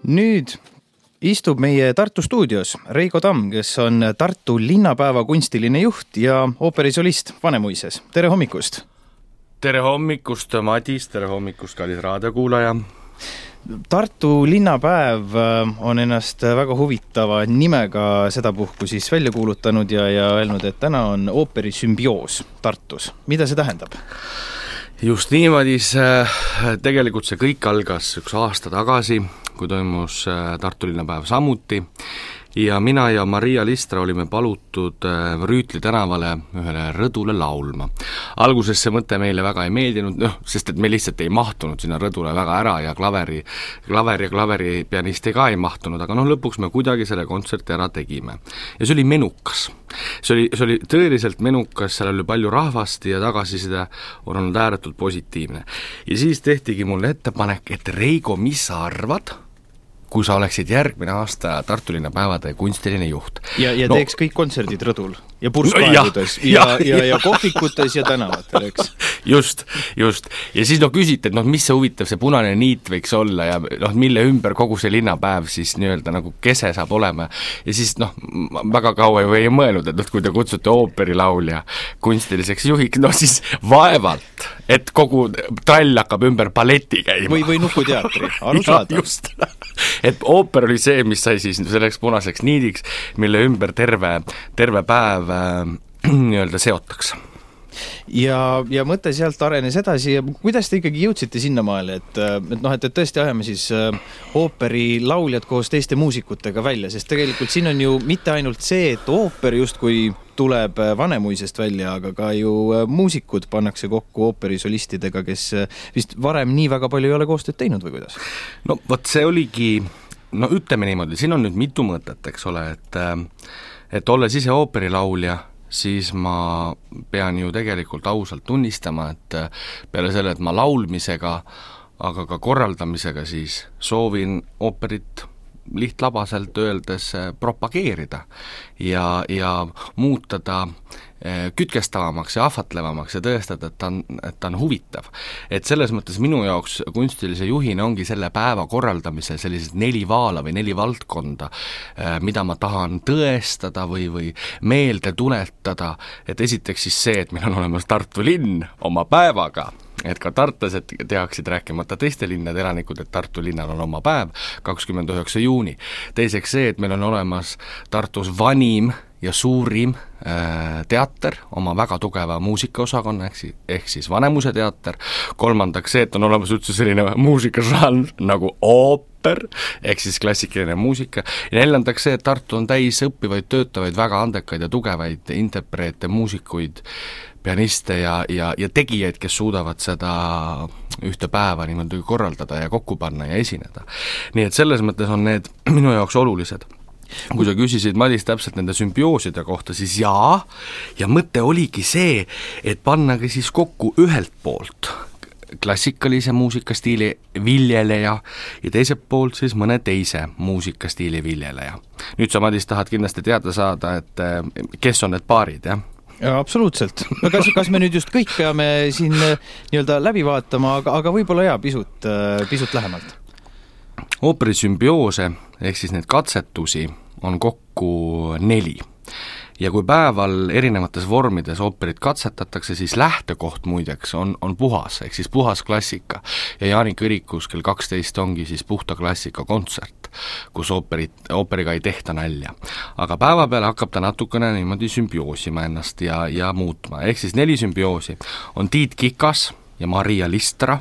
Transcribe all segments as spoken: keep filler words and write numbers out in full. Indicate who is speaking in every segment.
Speaker 1: Nüüd istub meie Tartu stuudios Reigo Tamm, kes on Tartu linnapäeva kunstiline juht ja ooperisolist Vanemuises. Tere hommikust!
Speaker 2: Tere hommikust, Madis, tere hommikust, kallis raadiokuulaja!
Speaker 1: Tartu linnapäev on ennast väga huvitava nimega sedapuhku siis välja kuulutanud ja, ja öelnud, et täna on ooperi sümbioos Tartus. Mida see tähendab?
Speaker 2: Just niimoodi, tegelikult see kõik algas üks aasta tagasi, kui toimus Tartu linnapäev samuti ja mina ja Maria Listra olime palutud Rüütli tänavale ühele rõdule laulma. Alguses see mõte meile väga ei meeldinud, noh, sest et me lihtsalt ei mahtunud sinna rõdule väga ära ja klaveri, klaveri ja klaveri pianisti ka ei mahtunud, aga noh, lõpuks me kuidagi selle kontserti ära tegime. Ja see oli menukas. See oli, see oli tõeliselt menukas, seal oli palju rahvast ja tagasiside on olnud ääretult positiivne. Ja siis tehtigi mulle ettepanek, et Reigo, mis sa arvad, kui sa oleksid järgmine aasta Tartu linnapäevade kunstiline juht.
Speaker 1: Ja, ja teeks no, kõik kontserdid rõdul ja purskkaevudes no, ja, ja, ja, ja, ja kohvikutes ja tänavatel, eks?
Speaker 2: Just, just. Ja siis no küsite, et noh, mis see huvitav, see punane niit võiks olla ja noh, mille ümber kogu see linnapäev siis nii-öelda nagu kese saab olema. Ja siis noh, väga kaua ju ei mõelnud, et noh, kui te kutsute ooperilaulja kunstiliseks juhiks, no siis vaevalt, et kogu trall hakkab ümber balleti käima.
Speaker 1: Või, või nukuteatri, arusaada.
Speaker 2: Just. Et ooper oli see, mis sai siis selleks punaseks niidiks, mille ümber terve, terve päev äh, nii-öelda seotakse.
Speaker 1: Ja, ja mõte sealt arenes edasi ja kuidas te ikkagi jõudsite sinnamaale, et, et noh, et tõesti ajame siis ooperi lauljad koos teiste muusikutega välja, sest tegelikult siin on ju mitte ainult see, et ooper justkui tuleb Vanemuisest välja, aga ka ju muusikud pannakse kokku ooperisolistidega, kes vist varem nii väga palju ei ole koostööd teinud või kuidas?
Speaker 2: No võt see oligi, no ütleme niimoodi, siin on nüüd mitu mõtet, eks ole, et, et olles ise ooperilaulja, siis ma pean ju tegelikult ausalt tunnistama, et peale selle, et ma laulmisega, aga ka korraldamisega siis soovin ooperit lihtlabaselt öeldes propageerida ja, ja muuta ta kütkestavamaks ja ahvatlevamaks ja tõestada, et ta on, et ta on huvitav. Et selles mõttes minu jaoks kunstilise juhina ongi selle päeva korraldamisel sellised neli vaala või neli valdkonda, mida ma tahan tõestada või, või meelde tuletada, et esiteks siis see, et meil on olemas Tartu linn oma päevaga, et ka tartlased tehaksid rääkimata teiste linnade elanikud, et Tartu linnal on oma päev, kakskümmend üheksa juuni. Teiseks see, et meil on olemas Tartus vanim ja suurim äh, teater, oma väga tugeva muusikaosakonna, ehk, ehk siis Vanemuise teater. Kolmandaks see, et on olemas üldse selline muusikažanr nagu ooper, ehk siis klassikaline muusika. Ja neljandaks see, et Tartu on täis õppivaid, töötavaid, väga andekaid ja tugevaid interpreete, muusikuid, pianiste ja, ja, ja tegijaid, kes suudavad seda ühte päeva niimoodi korraldada ja kokku panna ja esineda. Nii et selles mõttes on need minu jaoks olulised. Kui sa küsisid, Madis, täpselt nende sümbiooside kohta, siis jaa, ja mõte oligi see, et pannagi siis kokku ühelt poolt klassikalise muusikastiili viljeleja ja teiselt poolt siis mõne teise muusikastiili viljeleja. Nüüd sa, Madis, tahad kindlasti teada saada, et kes on need paarid, jah?
Speaker 1: Ja, absoluutselt. Kas, kas me nüüd just kõik peame siin nii-öelda läbi vaatama, aga, aga võib-olla jaa, pisut, pisut lähemalt?
Speaker 2: Ooperi sümbioose, ehk siis need katsetusi, on kokku neli. Ja kui päeval erinevates vormides ooperit katsetatakse, siis lähtekoht muideks on, on puhas, ehk siis puhas klassika. Ja Jaani kõrikus kell kaksteist ongi siis puhta klassika kontsert, kus ooperit, ooperiga ei tehta nälja. Aga päeva peale hakkab ta natukene niimoodi sümbioosima ennast ja, ja muutma. Ehk siis neli sümbioosi on Tiit Kikas ja Maria Listra,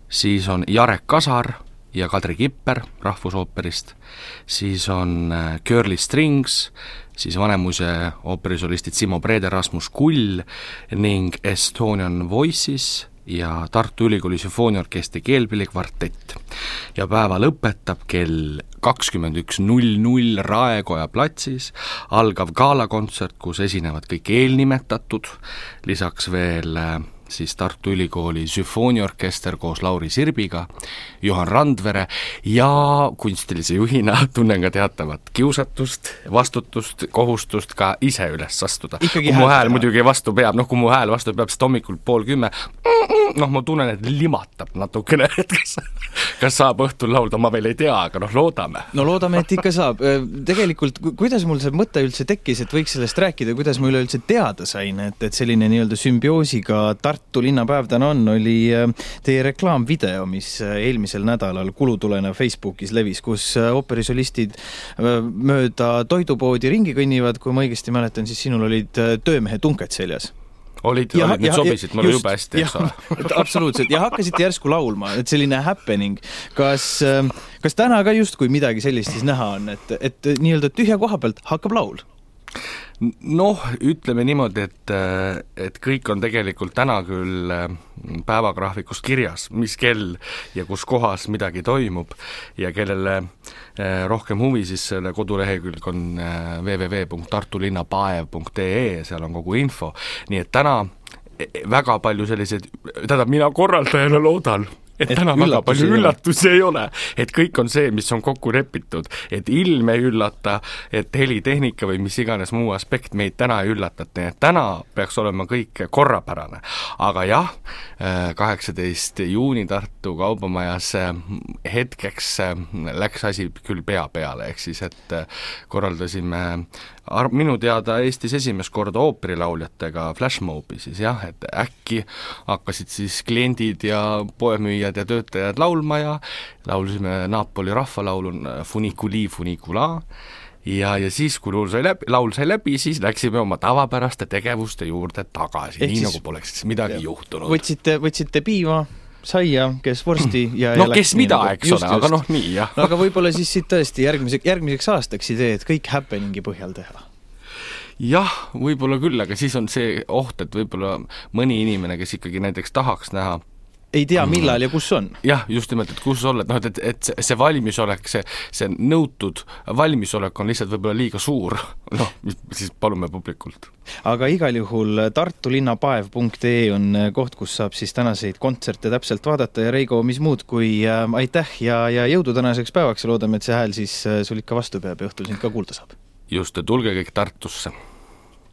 Speaker 2: siis on Jarek Kasar ja Kadri Kipper Rahvusooperist, siis on Curly Strings, siis Vanemuise ooperisolistid Simo Breder, Rasmus Kull ning Estonian Voices ja Tartu Ülikooli sümfooniaorkestri keelpillikvartett. Ja päeva lõpetab kell kakskümmend üks null null Raekoja platsis algav gaalakontsert, kus esinevad kõik eelnimetatud, lisaks veel siis Tartu Ülikooli sümfooniaorkester koos Lauri Sirbiga, Johan Randvere ja kunstilise juhina tunnen ka teatavat kiusatust, vastutust, kohustust ka ise üles astuda. Ikkagi kui mu hääl muidugi vastu peab, noh kui mu hääl vastu peab, sest hommikul pool kümme, noh ma tunnen, et limatab natukene, et kas, kas saab õhtul laulda, ma veel ei tea, aga noh, loodame.
Speaker 1: No loodame, et ikka saab. Tegelikult, kuidas mul see mõte üldse tekkis, et võiks sellest rääkida, kuidas ma üleüldse teada sain, et, et selline nii-öelda sümbioosiga Tartu linnapäev täna on, oli teie reklaamvideo, mis eelmisel nädalal kulutulena Facebookis levis, kus ooperisolistid mööda toidupoodi ringi kõnnivad, kui ma õigesti mäletan, siis sinul olid töömehe tunked seljas.
Speaker 2: Olid, ja, olid, need sobisid mulle jube hästi, eks ole.
Speaker 1: Absoluutselt, ja hakkasite järsku laulma, et selline happening. Kas, kas täna ka just kui midagi sellist siis näha on, et, et nii-öelda tühja koha pealt hakkab laul?
Speaker 2: Noh, ütleme niimoodi, et, et kõik on tegelikult täna küll päevagraafikust kirjas, mis kell ja kus kohas midagi toimub ja kellele rohkem huvi, siis selle kodulehekülg on w w w punkt tartulinnapaev punkt e e, seal on kogu info, nii et täna väga palju selliseid, tähendab, mina korraldajana loodan, et, et täna väga palju üllatusi ei ole, et kõik on see, mis on kokku repitud, et ilm ei üllata, et helitehnika või mis iganes muu aspekt meid täna ei üllatat, nii et täna peaks olema kõik korrapärane. Aga jah, kaheksateist juuni Tartu Kaubamajas hetkeks läks asi küll pea peale, ehk siis, et korraldasime minu teada Eestis esimest korda ooperilauljatega flashmobi siis jah, et äkki hakkasid siis kliendid ja poemüüjad ja töötajad laulma ja laulisime Napoli rahvalaulu Funiculi Funicula ja, ja siis, kui laul sai läbi, laul sai läbi, siis läksime oma tavapäraste tegevuste juurde tagasi, Ehk nii siis, nagu poleks midagi jah. juhtunud.
Speaker 1: Võtsite, võtsite piima, saia, kes vorsti ja,
Speaker 2: no
Speaker 1: ja
Speaker 2: kes mida, eks ole, aga noh, nii jah.
Speaker 1: No, aga võib-olla siis siit tõesti järgmise, järgmiseks aastaks idee, et kõik happeningi põhjal teha.
Speaker 2: Jah, võib-olla küll, aga siis on see oht, et võib-olla mõni inimene, kes ikkagi näiteks tahaks näha
Speaker 1: ei tea, millal ja kus on. Jah,
Speaker 2: just nimelt, et kus olla, et, no, et, et see valmisolek, see, see nõutud valmisolek on lihtsalt võib-olla liiga suur. Noh, siis palume publikult.
Speaker 1: Aga igal juhul tartulinnapaev punkt e on koht, kus saab siis tänaseid kontserte täpselt vaadata ja Reigo, mis muud kui äh, aitäh ja, ja jõudu tänaseks päevaks ja loodame, et see hääl siis äh, sul ikka vastu peab ja õhtul sind ka kuulda saab.
Speaker 2: Just, tulge kõik Tartusse.